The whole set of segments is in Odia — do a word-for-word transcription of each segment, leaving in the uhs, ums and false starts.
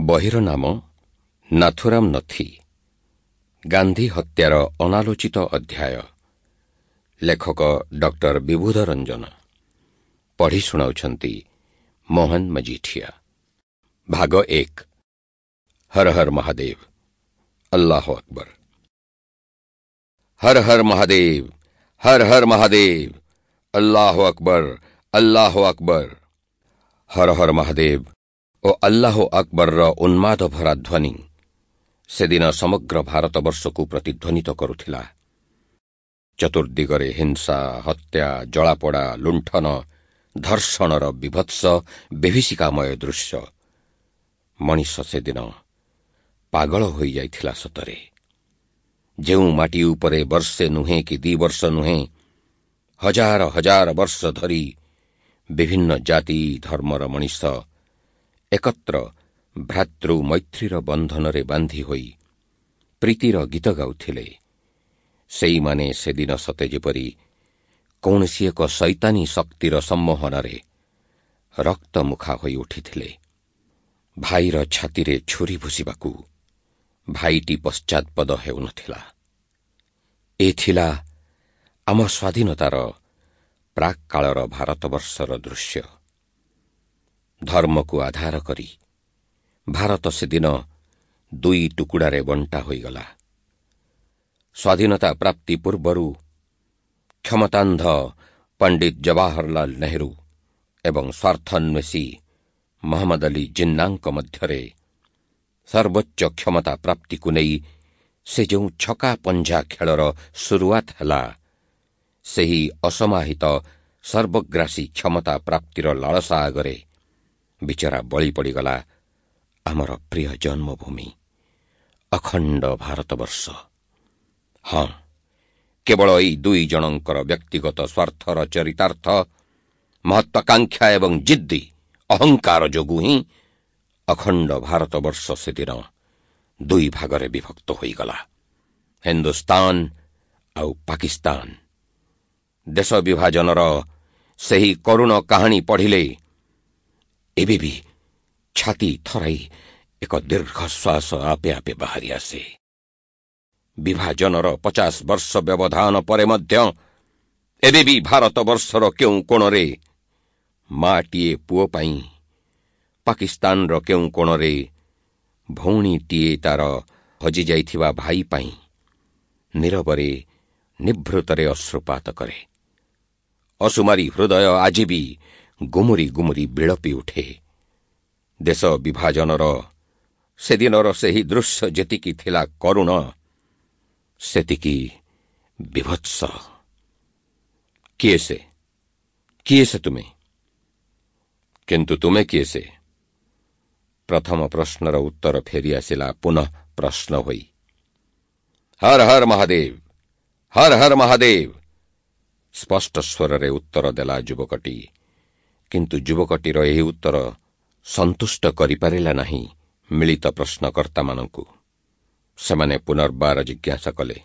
ବହିର ନାମ ନାଥୁରାମ ନଥି, ଗାନ୍ଧୀ ହତ୍ୟାର ଅନାଲୋଚିତ ଅଧ୍ୟାୟ। ଲେଖକ ଡକ୍ଟର ବିବୁଧ ରଞ୍ଜନ। ପଢ଼ି ଶୁଣାଉଛନ୍ତି ମୋହନ ମଜିଠିଆ। ଭାଗ ଏକ। ହର ହର ମହାଦେବ, ଅଲ୍ଲାହ ଆକବର। ହର ହର ମହାଦେବ, ହର ହର ମହାଦେବ, ଅଲ୍ଲାହ ଆକବର, ଅଲ୍ଲାହ ଆକବର। ହର ହର ମହାଦେବ ଓ ଅଲ୍ଲାହ ଆକବରର ଉନ୍ମାଦ ଭରା ଧ୍ୱନି ସେଦିନ ସମଗ୍ର ଭାରତବର୍ଷକୁ ପ୍ରତିଧ୍ୱନିତ କରୁଥିଲା। ଚତୁର୍ଦିଗରେ ହିଂସା, ହତ୍ୟା, ଜଳାପୋଡ଼ା, ଲୁଣ୍ଠନ, ଧର୍ଷଣର ବିଭତ୍ସ ବିଭୀଷିକାମୟ ଦୃଶ୍ୟ। ମଣିଷ ସେଦିନ ପାଗଳ ହୋଇଯାଇଥିଲା ସତରେ। ଯେଉଁ ମାଟି ଉପରେ ବର୍ଷେ ନୁହେଁ କି ଦି ବର୍ଷ ନୁହେଁ, ହଜାର ହଜାର ବର୍ଷ ଧରି ବିଭିନ୍ନ ଜାତି ଧର୍ମର ମଣିଷ ଏକତ୍ର ଭ୍ରାତୃ ମୈତ୍ରୀର ବନ୍ଧନରେ ବାନ୍ଧି ହୋଇ ପ୍ରୀତିର ଗୀତ ଗାଉଥିଲେ, ସେଇମାନେ ସେଦିନ ସତେ ଯେପରି କୌଣସି ଏକ ସୈତାନୀ ଶକ୍ତିର ସମ୍ମୋହନରେ ରକ୍ତମୁଖା ହୋଇ ଉଠିଥିଲେ। ଭାଇର ଛାତିରେ ଛୁରୀ ଭୁସିବାକୁ ଭାଇଟି ପଶ୍ଚାৎପଦ ହେଉନଥିଲା। ଏ ଥିଲା ଆମ ସ୍ୱାଧୀନତାର ପ୍ରାକ୍ କାଳର ଭାରତବର୍ଷର ଦୃଶ୍ୟ। ଧର୍ମକୁ ଆଧାର କରି ଭାରତ ସେଦିନ ଦୁଇ ଟୁକୁଡ଼ାରେ ବଣ୍ଟା ହୋଇଗଲା। ସ୍ୱାଧୀନତା ପ୍ରାପ୍ତି ପୂର୍ବରୁ କ୍ଷମତାନ୍ଧ ପଣ୍ଡିତ ଜବାହରଲାଲ ନେହେରୁ ଏବଂ ସ୍ୱାର୍ଥନ୍ୱେଷୀ ମହମ୍ମଦ ଅଲି ଜିନ୍ନାଙ୍କ ମଧ୍ୟରେ ସର୍ବୋଚ୍ଚ କ୍ଷମତା ପ୍ରାପ୍ତିକୁ ନେଇ ସେ ଯେଉଁ ଛକା ପଞ୍ଝା ଖେଳର ସୁରୁଆତ ହେଲା, ସେହି ଅସମାହିତ ସର୍ବଗ୍ରାସୀ କ୍ଷମତା ପ୍ରାପ୍ତିର ଲାଳସା ଆଗରେ ବିଚରା ବଳି ପଡ଼ିଗଲା ଆମର ପ୍ରିୟ ଜନ୍ମଭୂମି ଅଖଣ୍ଡ ଭାରତବର୍ଷ। ହଁ, କେବଳ ଏଇ ଦୁଇ ଜଣଙ୍କର ବ୍ୟକ୍ତିଗତ ସ୍ୱାର୍ଥର ଚରିତାର୍ଥ, ମହତ୍ୱାକାଂକ୍ଷା ଏବଂ ଜିଦ୍ଦି ଅହଙ୍କାର ଯୋଗୁଁ ହିଁ ଅଖଣ୍ଡ ଭାରତବର୍ଷ ସେଦିନ ଦୁଇ ଭାଗରେ ବିଭକ୍ତ ହୋଇଗଲା, ହିନ୍ଦୁସ୍ତାନ ଆଉ ପାକିସ୍ତାନ। ଦେଶ ବିଭାଜନର ସେହି କରୁଣ କାହାଣୀ ପଢ଼ିଲେ ଏବେ ବି ଛାତି ଥରାଇ ଏକ ଦୀର୍ଘଶ୍ୱାସ ଆପେ ଆପେ ବାହାରି ଆସେ। ବିଭାଜନର ପଚାଶ ବର୍ଷ ବ୍ୟବଧାନ ପରେ ମଧ୍ୟ ଏବେ ବି ଭାରତବର୍ଷର କେଉଁ କୋଣରେ ମାଟିଏ ପୁଅ ପାଇଁ, ପାକିସ୍ତାନର କେଉଁ କୋଣରେ ଭଉଣୀଟିଏ ତାର ହଜିଯାଇଥିବା ଭାଇ ପାଇଁ ନୀରବରେ ନିଭୃତରେ ଅଶ୍ରୁପାତ କରେ। ଅସୁମାରୀ ହୃଦୟ ଆଜି ବି ଗୁମୁରି ଗୁମୁରି ବିଳପି ଉଠେ। ଦେଶ ବିଭାଜନର ସେଦିନର ସେହି ଦୃଶ୍ୟ ଯେତିକି ଥିଲା କରୁଣ, ସେତିକି ବିଭତ୍ସ। କିଏ ସେ? କିଏ ସେ ତୁମେ? କିନ୍ତୁ ତୁମେ କିଏ ସେ? ପ୍ରଥମ ପ୍ରଶ୍ନର ଉତ୍ତର ଫେରିଆସିଲା ପୁନଃ ପ୍ରଶ୍ନ ହୋଇ। ହର ହର ମହାଦେବ, ହର ହର ମହାଦେବ, ସ୍ପଷ୍ଟ ସ୍ୱରରେ ଉତ୍ତର ଦେଲା ଯୁବକଟି। କିନ୍ତୁ ଯୁବକଟିର ଏହି ଉତ୍ତର ସନ୍ତୁଷ୍ଟ କରିପାରିଲା ନାହିଁ ମିଳିତ ପ୍ରଶ୍ନକର୍ତ୍ତାମାନଙ୍କୁ। ସେମାନେ ପୁନର୍ବାର ଜିଜ୍ଞାସା କଲେ,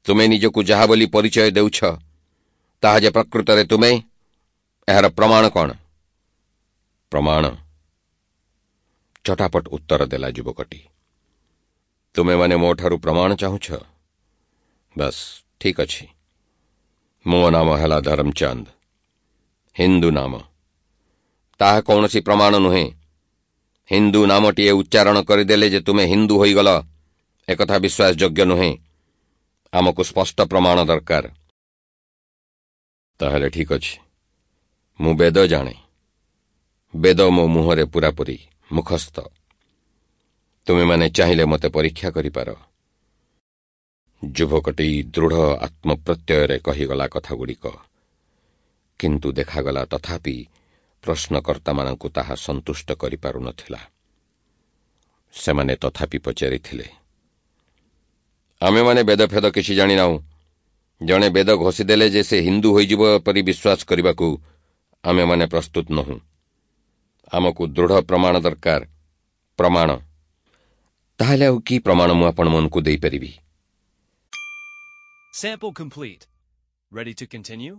ତୁମେ ନିଜକୁ ଯାହା ବୋଲି ପରିଚୟ ଦେଉଛ, ତାହା ଯେ ପ୍ରକୃତରେ ତୁମେ, ଏହାର ପ୍ରମାଣ କ'ଣ? ପ୍ରମାଣ? ଚଟାପଟ ଉତ୍ତର ଦେଲା ଯୁବକଟି। ତୁମେମାନେ ମୋଠାରୁ ପ୍ରମାଣ ଚାହୁଁଛ? ବାସ୍, ଠିକ୍ ଅଛି। ମୋ ନାମ ହେଲା ଧରମଚାନ୍ଦ, ହିନ୍ଦୁ ନାମ। ତାହା କୌଣସି ପ୍ରମାଣ ନୁହେଁ। ହିନ୍ଦୁ ନାମଟିଏ ଉଚ୍ଚାରଣ କରିଦେଲେ ଯେ ତୁମେ ହିନ୍ଦୁ ହୋଇଗଲ, ଏକଥା ବିଶ୍ୱାସଯୋଗ୍ୟ ନୁହେଁ। ଆମକୁ ସ୍ପଷ୍ଟ ପ୍ରମାଣ ଦରକାର। ତାହେଲେ ଠିକ୍ ଅଛି, ମୁଁ ବେଦ ଜାଣେ। ବେଦ ମୋ ମୁହଁରେ ପୂରାପୂରି ମୁଖସ୍ଥ। ତୁମେମାନେ ଚାହିଁଲେ ମୋତେ ପରୀକ୍ଷା କରିପାର। ଯୁବକଟି ଦୃଢ଼ ଆତ୍ମପ୍ରତ୍ୟୟରେ କହିଗଲା କଥାଗୁଡ଼ିକ। କିନ୍ତୁ ଦେଖାଗଲା ତଥାପି ପ୍ରଶ୍ନକର୍ତ୍ତାମାନଙ୍କୁ ତାହା ସନ୍ତୁଷ୍ଟ କରିପାରୁନଥିଲା। ସେମାନେ ତଥାପି ପଚାରିଥିଲେ, ଆମେମାନେ ବେଦଫେଦ କିଛି ଜାଣିନାହୁଁ। ଜଣେ ବେଦ ଘୋଷିଦେଲେ ଯେ ସେ ହିନ୍ଦୁ ହୋଇଯିବ ପରି ବିଶ୍ୱାସ କରିବାକୁ ଆମେମାନେ ପ୍ରସ୍ତୁତ ନୋହୁଁ। ଆମକୁ ଦୃଢ଼ ପ୍ରମାଣ ଦରକାର। ପ୍ରମାଣ? ତାହେଲେ ଆଉ କି ପ୍ରମାଣ ମୁଁ ଆପଣମାନଙ୍କୁ ଦେଇପାରିବି? Sample complete. Ready to continue?